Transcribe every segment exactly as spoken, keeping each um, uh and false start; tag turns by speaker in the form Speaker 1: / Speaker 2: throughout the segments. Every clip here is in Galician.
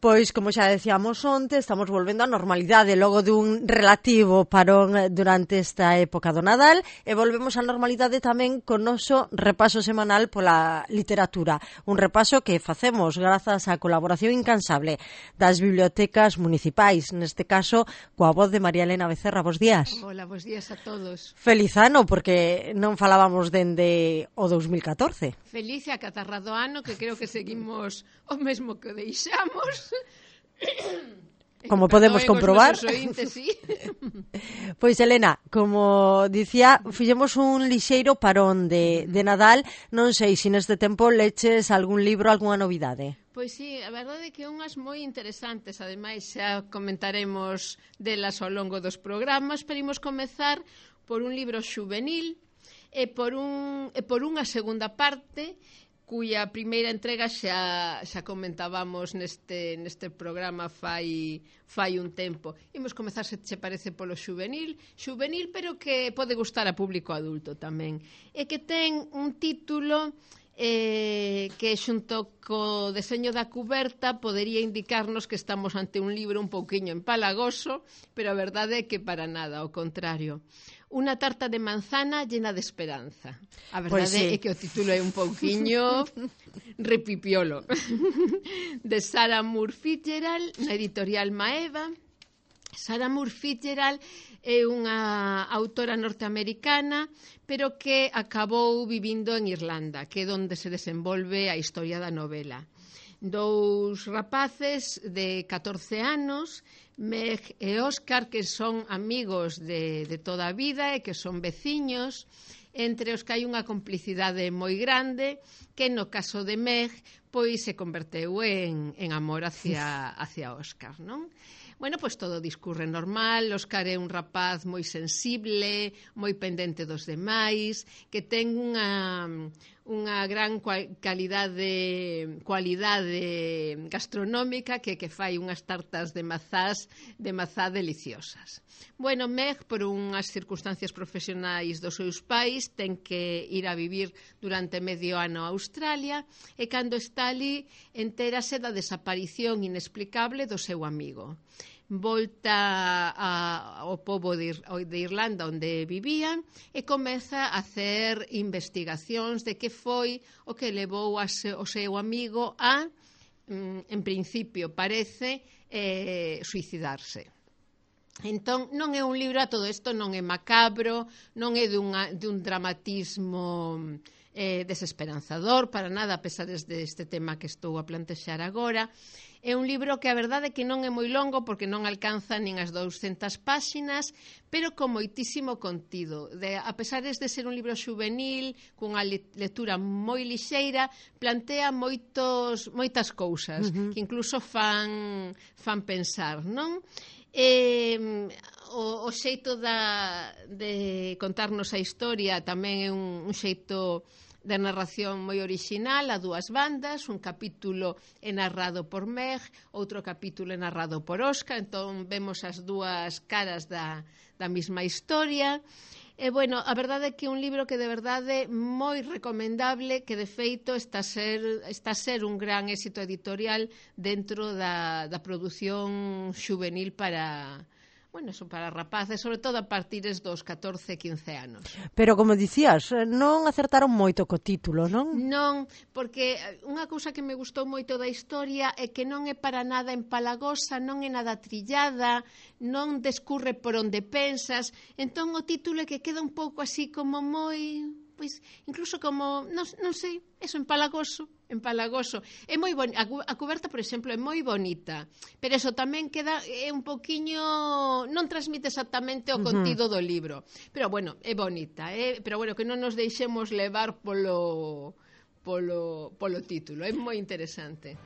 Speaker 1: Pois, como xa decíamos onte, estamos volvendo á normalidade logo dun relativo parón durante esta época do Nadal e volvemos á normalidade tamén con noso repaso semanal pola literatura. Un repaso que facemos grazas á colaboración incansable das bibliotecas municipais, neste caso coa voz de María Elena Becerra. Bos días.
Speaker 2: Hola, bos días a todos.
Speaker 1: Feliz ano, porque non falábamos dende o dos mil catorce.
Speaker 2: Feliz e acatarrado ano, que creo que seguimos o mesmo que deixamos.
Speaker 1: Como podemos comprobar.
Speaker 2: Ointes, sí.
Speaker 1: Pois, Elena, como dicía, fixemos un lixeiro parón de, de Nadal. Non sei se neste tempo leches algún libro, algunha novidade.
Speaker 2: Pois sí, a verdade é que unhas moi interesantes, ademais xa comentaremos delas ao longo dos programas, pero imos comezar por un libro xuvenil e por, un, e por unha segunda parte cuya primeira entrega xa, xa comentábamos neste, neste programa fai, fai un tempo. Imos comezar, se che parece, polo xuvenil, xuvenil pero que pode gustar a público adulto tamén, e que ten un título eh, que xunto co deseño da cuberta podería indicarnos que estamos ante un libro un pouquiño empalagoso, pero a verdade é que para nada, ao contrario. Unha tarta de manzana llena de esperanza. A verdade pues sí. é que o título é un pouquiño repipiolo. De Sarah Moore Fitzgerald, na editorial Maeva. Sarah Moore Fitzgerald é unha autora norteamericana, pero que acabou vivindo en Irlanda, que é onde se desenvolve a historia da novela. Dous rapaces de catorce anos, Meg e Óscar, que son amigos de, de toda a vida e que son veciños, entre os que hai unha complicidade moi grande, que no caso de Meg, pois se converteu en, en amor hacia, hacia Óscar, non? Bueno, pois todo discurre normal. Óscar é un rapaz moi sensible, moi pendente dos demais, que ten unha, unha gran calidade, cualidade gastronómica que, que fai unhas tartas de mazás de mazá deliciosas. Bueno, Meg, por unhas circunstancias profesionais dos seus pais, ten que ir a vivir durante medio ano a Australia e cando está ali entérase da desaparición inexplicable do seu amigo. Volta a, ao pobo de, de Irlanda onde vivían e comeza a hacer investigacións de que foi o que levou a se, o seu amigo a, en principio parece, eh, suicidarse. Entón, non é un libro, a todo isto non é macabro, non é dunha, dun dramatismo eh, desesperanzador, para nada, a pesar deste tema que estou a plantexar agora. É un libro que a verdade é que non é moi longo porque non alcanza nin as douscentas páxinas, pero con moitísimo contido. De, a pesar de ser un libro xuvenil, cunha lectura moi lixeira, plantea moitos, moitas cousas uh-huh. que incluso fan, fan pensar, non? E, o, o xeito da, de contarnos a historia tamén é un, un xeito de narración moi orixinal a dúas bandas. Un capítulo é narrado por Meg, outro capítulo é narrado por Óscar, entón vemos as dúas caras da, da mesma historia. E, bueno, a verdade é que é un libro que de verdade moi recomendable, que de feito está a ser, está a ser un gran éxito editorial dentro da, da produción xuvenil para... Bueno, son para rapaces, sobre todo a partir dos catorce, quince anos.
Speaker 1: Pero, como dicías, non acertaron moito co título, non?
Speaker 2: Non, porque unha cousa que me gustou moito da historia é que non é para nada empalagosa, non é nada trillada, non descurre por onde pensas, entón o título é que queda un pouco así como moi... Pois, incluso como, non, non sei, eso, empalagoso, empalagoso. É moi bonita, a cuberta, por exemplo, é moi bonita, pero eso tamén queda é un poquiño, non transmite exactamente o contido uh-huh. do libro. Pero bueno, é bonita, eh? Pero bueno, que non nos deixemos levar polo polo polo título, é moi interesante.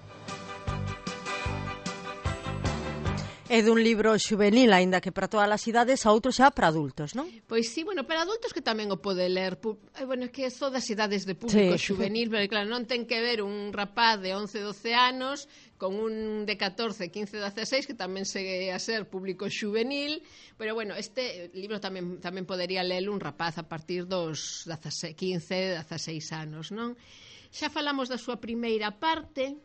Speaker 1: É dun libro xuvenil, aínda que para todas as idades, a outro xa para adultos, non?
Speaker 2: Pois sí, bueno, para adultos que tamén o pode ler. Eh, bueno, é que é todas as idades de público sí. xuvenil, pero claro, non ten que ver un rapaz de once, doce anos con un de catorce, quince, dezasseis que tamén segue a ser público xuvenil, pero bueno, este libro tamén tamén podería ler un rapaz a partir dos quince, dezasseis anos, non? Xa falamos da súa primeira parte.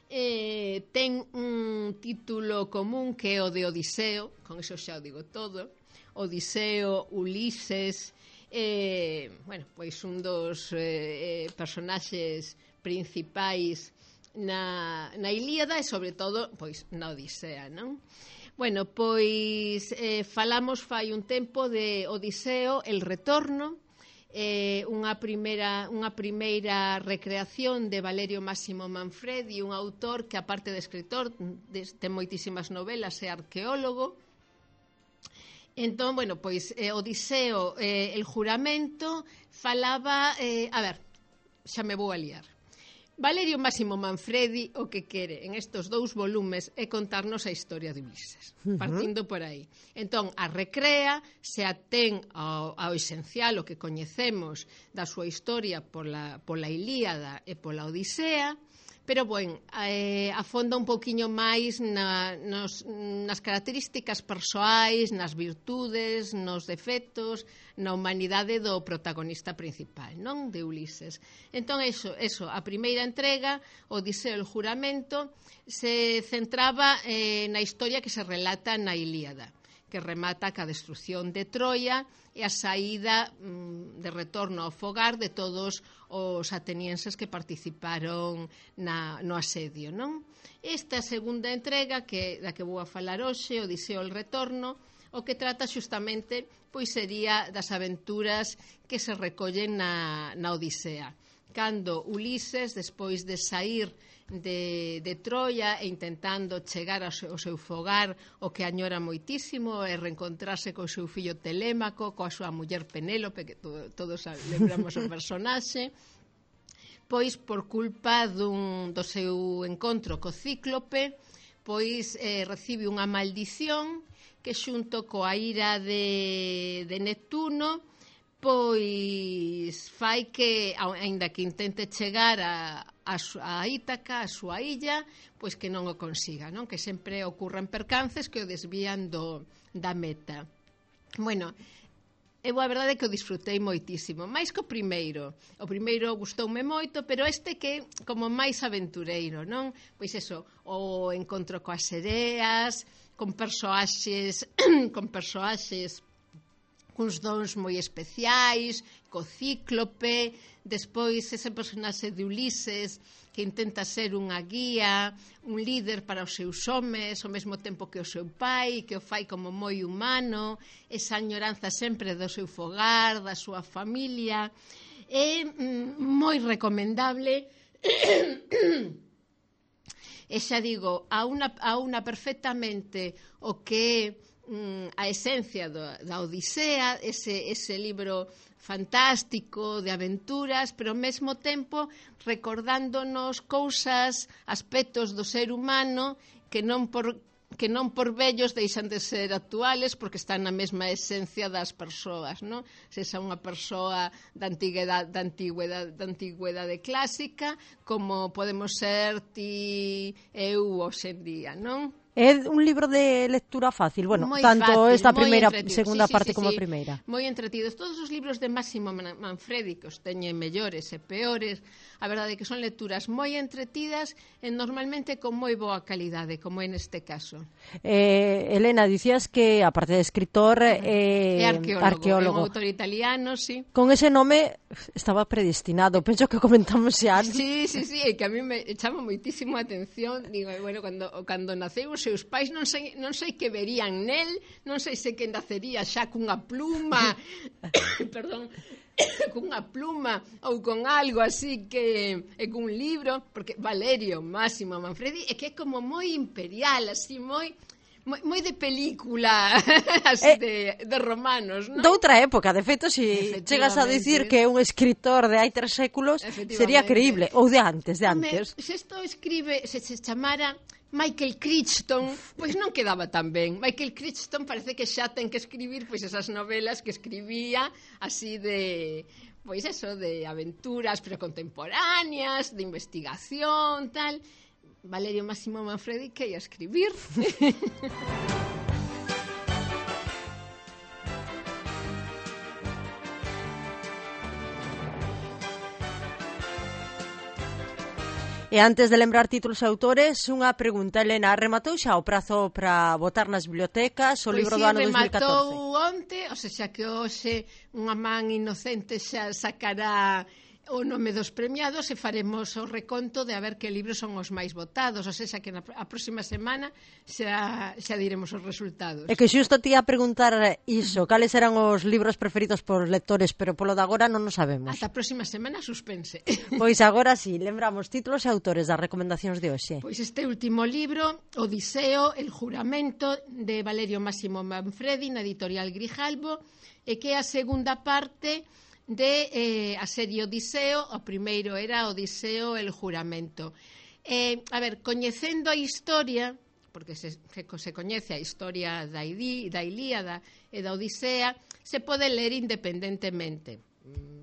Speaker 2: eh, ten un título común que é o de Odiseo, con eso xa o digo todo. Odiseo, Ulises, eh, bueno, pois un dos eh, personaxes principais na, na Ilíada e sobre todo pois na Odisea, non? Bueno, pois eh, falamos fai un tempo de Odiseo, el retorno, eh, unha primeira unha primeira recreación de Valerio Máximo Manfredi, un autor que aparte de escritor ten moitísimas novelas, é arqueólogo. Entón, bueno, pois eh, Odiseo, eh, el juramento falaba, eh, a ver, xa me vou a liar. Valerio Máximo Manfredi o que quere en estos dous volumes é contarnos a historia de Ulises, partindo por aí. Entón, a recrea, se atén ao, ao esencial, o que coñecemos da súa historia pola, pola Ilíada e pola Odisea, pero, bueno, eh, afonda un pouquiño máis na, nos, nas características persoais, nas virtudes, nos defectos, na humanidade do protagonista principal, non? De Ulises. Entón, eso, eso, a primeira entrega, Odiseo el juramento, se centraba eh, na historia que se relata na Ilíada, que remata ca destrucción de Troia e a saída mm, de retorno ao fogar de todos os atenienses que participaron na, no asedio, non? Esta segunda entrega, que, da que vou a falar hoxe, Odiseo el retorno, o que trata xustamente pois sería das aventuras que se recollen na, na Odisea. Cando Ulises, despois de sair de, de Troia e intentando chegar ao seu, ao seu fogar, o que añora moitísimo é reencontrarse co seu fillo Telémaco, coa súa muller Penélope, que todo, todos lembramos o personaxe, pois por culpa dun, do seu encontro co Cíclope, pois eh, recibe unha maldición que xunto coa ira de, de Neptuno pois fai que, aínda que intente chegar a, a, a Ítaca, a súa illa, pois que non o consiga, non? Que sempre ocurren percances que o desvían do, da meta. Bueno, eu a verdade é que o disfrutei moitísimo, máis que o primeiro. O primeiro gustoume moito, pero este que como máis aventureiro, non? Pois eso, o encontro coas sereas, con persoaxes, con persoaxes cuns dons moi especiais, co Cíclope, despois ese personaxe de Ulises que intenta ser unha guía, un líder para os seus homes, ao mesmo tempo que o seu pai, que o fai como moi humano, esa añoranza sempre do seu fogar, da súa familia. É mm, moi recomendable e xa digo, a unha, a unha perfectamente o que é a esencia do, da Odisea, ese, ese libro fantástico de aventuras, pero ao mesmo tempo recordándonos cousas, aspectos do ser humano que non por que non por vellos deixan de ser actuales porque están na mesma esencia das persoas, non? Se xa unha persoa da antigüedade, da antigüedade, da antigüedade clásica, como podemos ser ti eu hoxe en día, non?
Speaker 1: É un libro de lectura fácil, bueno,
Speaker 2: moi
Speaker 1: tanto
Speaker 2: fácil,
Speaker 1: esta primeira,
Speaker 2: entretido.
Speaker 1: segunda
Speaker 2: sí, sí,
Speaker 1: parte
Speaker 2: sí,
Speaker 1: como
Speaker 2: sí.
Speaker 1: a primeira.
Speaker 2: Moi entretidos. Todos os libros de Máximo Manfredi, que os teñen mellores e peores, a verdade é que son lecturas moi entretidas e normalmente con moi boa calidade, como é neste caso.
Speaker 1: Eh, Elena, dicías que, aparte de escritor, eh,
Speaker 2: é arqueólogo,
Speaker 1: arqueólogo.
Speaker 2: É un autor italiano, sí.
Speaker 1: Con ese nome estaba predestinado, penso que comentamos xa.
Speaker 2: Sí, sí, sí, é que a mí me chama moitísimo a atención. Digo, bueno, cando, cando naceu os seus pais non sei, non sei que verían nel, non sei se que nacería xa cunha pluma, perdón, cunha pluma ou con algo así que é cun libro, porque Valerio Máximo Manfredi é que é como moi imperial, así moi moi, moi de película, así eh, de, de romanos, non?
Speaker 1: De outra época, de feito, se si chegas a dicir que é un escritor de hai tres séculos, sería creíble, ou de antes, de antes.
Speaker 2: Home, se isto escribe, se se chamara Michael Crichton, pois non quedaba tan ben. Michael Crichton parece que xa ten que escribir pois esas novelas que escribía así de, pois eso, de aventuras pero contemporáneas, de investigación, tal. Valerio Máximo Manfredi que ia escribir.
Speaker 1: E antes de lembrar títulos e autores, unha pregunta, Elena, rematou xa o prazo para votar nas bibliotecas o
Speaker 2: pois
Speaker 1: libro
Speaker 2: sí,
Speaker 1: do ano dos mil catorce?
Speaker 2: Rematou onte, o sea que hoxe unha man inocente xa sacará o nome dos premiados e faremos o reconto de a ver que libros son os máis votados, ou seja que na, a próxima semana xa, xa diremos os resultados.
Speaker 1: É que xusto te ia a preguntar iso, cales eran os libros preferidos por lectores, pero polo de agora non o sabemos.
Speaker 2: Ata a próxima semana suspense.
Speaker 1: Pois agora sí, lembramos títulos e autores das recomendacións de hoxe.
Speaker 2: Pois este último libro, Odiseo, el juramento, de Valerio Máximo Manfredi, na editorial Grijalbo, e que é a segunda parte de eh, a serie Odiseo. O primeiro era Odiseo, el juramento. Eh, a ver, coñecendo a historia, porque se, se coñece a historia da, Idi, da Ilíada e da Odisea, se pode ler independentemente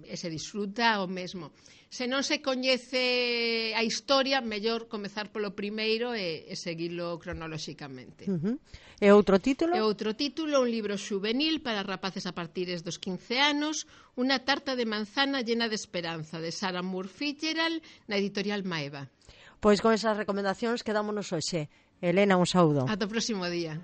Speaker 2: e se disfruta o mesmo. Se non se coñece a historia, mellor comezar polo primeiro e, e seguilo cronolóxicamente.
Speaker 1: Uh-huh. E outro título?
Speaker 2: E outro título, un libro xuvenil para rapaces a partires dos quince anos, Unha tarta de manzana llena de esperanza, de Sarah Moore Fitzgerald, na editorial Maeva.
Speaker 1: Pois con esas recomendacións quedámonos hoxe. Elena, un saúdo.
Speaker 2: Ata o próximo día.